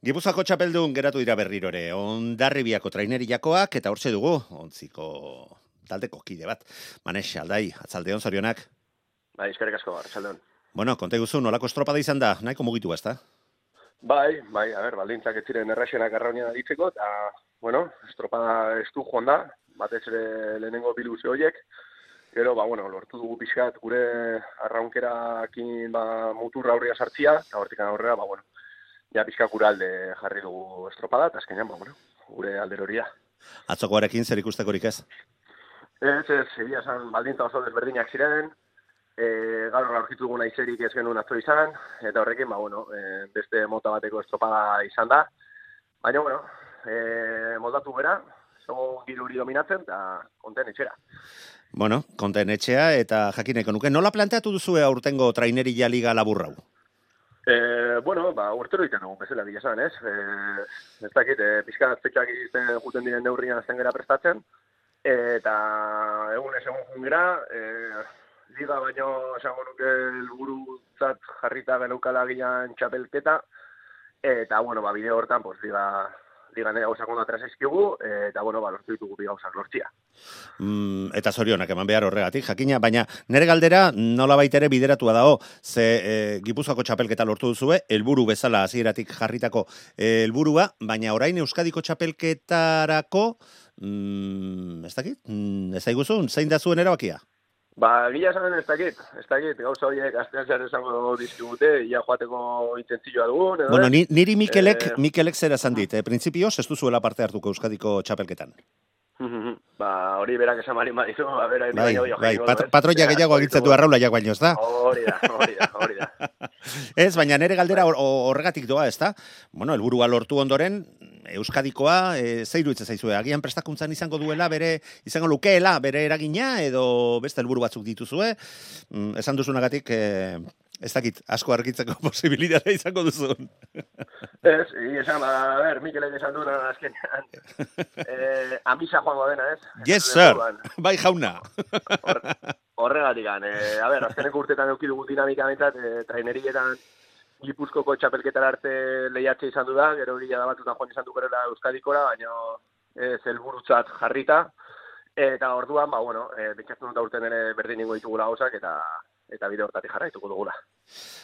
Gipuzkoako txapeldun geratu dira berriro ere, Hondarribiako traineriakoak eta hortxe dugu, ontziko taldeko kide bat. Manex, aldai, atzaldeon zorionak. Bai, eskerrik asko, arratsaldeon. Bueno, konta guzu, nolako estropada izan da, nahiko mugitu ezta? Bai, baldintzak ez ziren erraxenak arraunia ditzeko, eta, estropada estu joan da, batez ere lehenengo biluzio horiek, gero, lortu dugu pixkat gure arraunkerakin muturra aurria sartzia, eta hortik aurrera, ja pixka gure alde jarri dugu estropada, eta azkenean, gure alder hori da. Atzokoarekin zer ikustekorik ez? Ez, egia esan baldintza oso desberdinak ziren, gaur aurkitu duguna izerik ez genuen atzo izan, eta horrekin, beste mota bateko estropada izan da. Baina, moldatu bera, segun giruri dominatzen, eta konten etxera. Bueno, konten etxea, eta jakineko nuke, nola planteatu duzue aurtengo traineria liga laburrau? Urtero iten dugu, bezala bila esan, ez? Ez dakit, pixka fetxak izten juten diren neurrian azten gara prestatzen, eta egun jungera, liga baino esango nuke helburutzat jarrita geneukala gian txapelketa, eta, bide hortan, liga nire gauzak ondo atrasaizkigu, eta, lortu ditugu bi gauzak lortzia. Eta zorionak eman behar horregatik, jakina, baina nire galdera nola baitere bideratua dago, ze Gipuzkoako txapelketa lortu duzue, helburu bezala hasieratik jarritako helburua, baina orain Euskadiko txapelketarako, ez dakit, ez daiguzun, zein da zuen erabakia? Gila esan ez dakit, gauza horiek astean zehar esango dizkigute, ia joateko intentzioa dugun, edo? Bueno, niri Mikelek zera esan dit, printzipioz ez duzuela parte hartuko Euskadiko txapelketan. Hori berak esan marin badizu, patroia gehiago agintzen du arraulaiak baino, ez da? Hori da. Ez, baina nire galdera horregatik doa, ez da? Bueno, helburua lortu ondoren, Euskadikoa, zeiru itzen zaizue, agian prestakuntzan izango duela, izango lukeela, bere eragina, edo beste helburu batzuk dituzue, esan duzunagatik, ez dakit, asko argitzeko posibilitatea izango duzun. Ez, esan, Mikelek esan duna azkenean, amisa joango dena, ez? Yes, sir, bai jauna. Horregatik, azkeneko urtetan eukidugu dinamika bentzat, trainerietan Gipuzkoko txapelketara arte lehiatze izan du da, gero gila da batutan joan izan dukerela Euskadikora, baina ez helburutzat jarrita, eta orduan, pentsatzen dut urten ere berdin ingo ditugula gauzak, eta bide hortatik jarraituko dugula.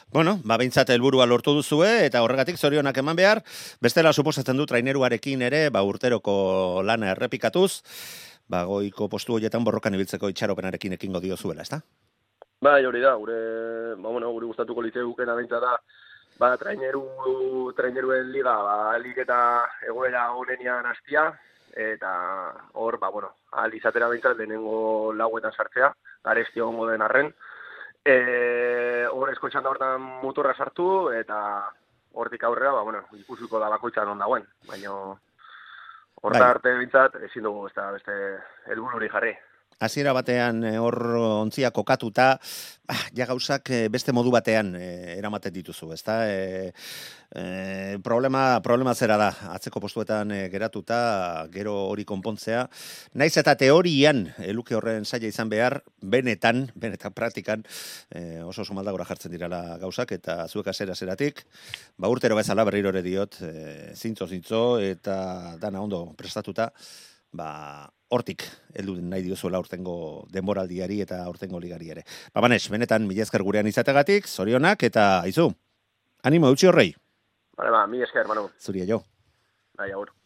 Bueno, behintzat helburua lortu duzue, eta horregatik zorionak eman behar, bestela suposatzen du traineruarekin ere, urteroko lana errepikatuz, goiko postu horietan borrokan ibiltzeko itxaropenarekin ekingo diozuela, ezta? Bai, hori da, gure gustatuko litzeukena behintzat da, traineruen liga, alik eta egoera honenian hastia, eta hor, ahal izatera behintzat lehenengo lauetan sartzea, garesti egongo den arren, hor eskoitxan da hortan muturra sartu, eta hortik aurrera, ikusiko da bakoitzan on dagoen, baina horta arte behintzat ezin dugu beste helbururi jarri. Hasiera batean hor ontzia kokatuta, ja gauzak beste modu batean eramaten dituzu, ezta? Problema zera da, atzeko postuetan geratuta, gero hori konpontzea. Naiz eta teorian, luke horren zaila izan behar, benetan praktikan, oso maldagora jartzen dirala gauzak, eta zuek azeratik, urtero bezala berriro ere diot, zintzo, eta dana ondo prestatuta, hortik heldu nahi diozuela aurtengo denboraldiari eta aurtengo ligari ere. Manex, benetan mila esker gurean izategatik, zorionak eta aizu. Animo, eutxi horrei. Mila esker, Manu. Zuria jo. Agur.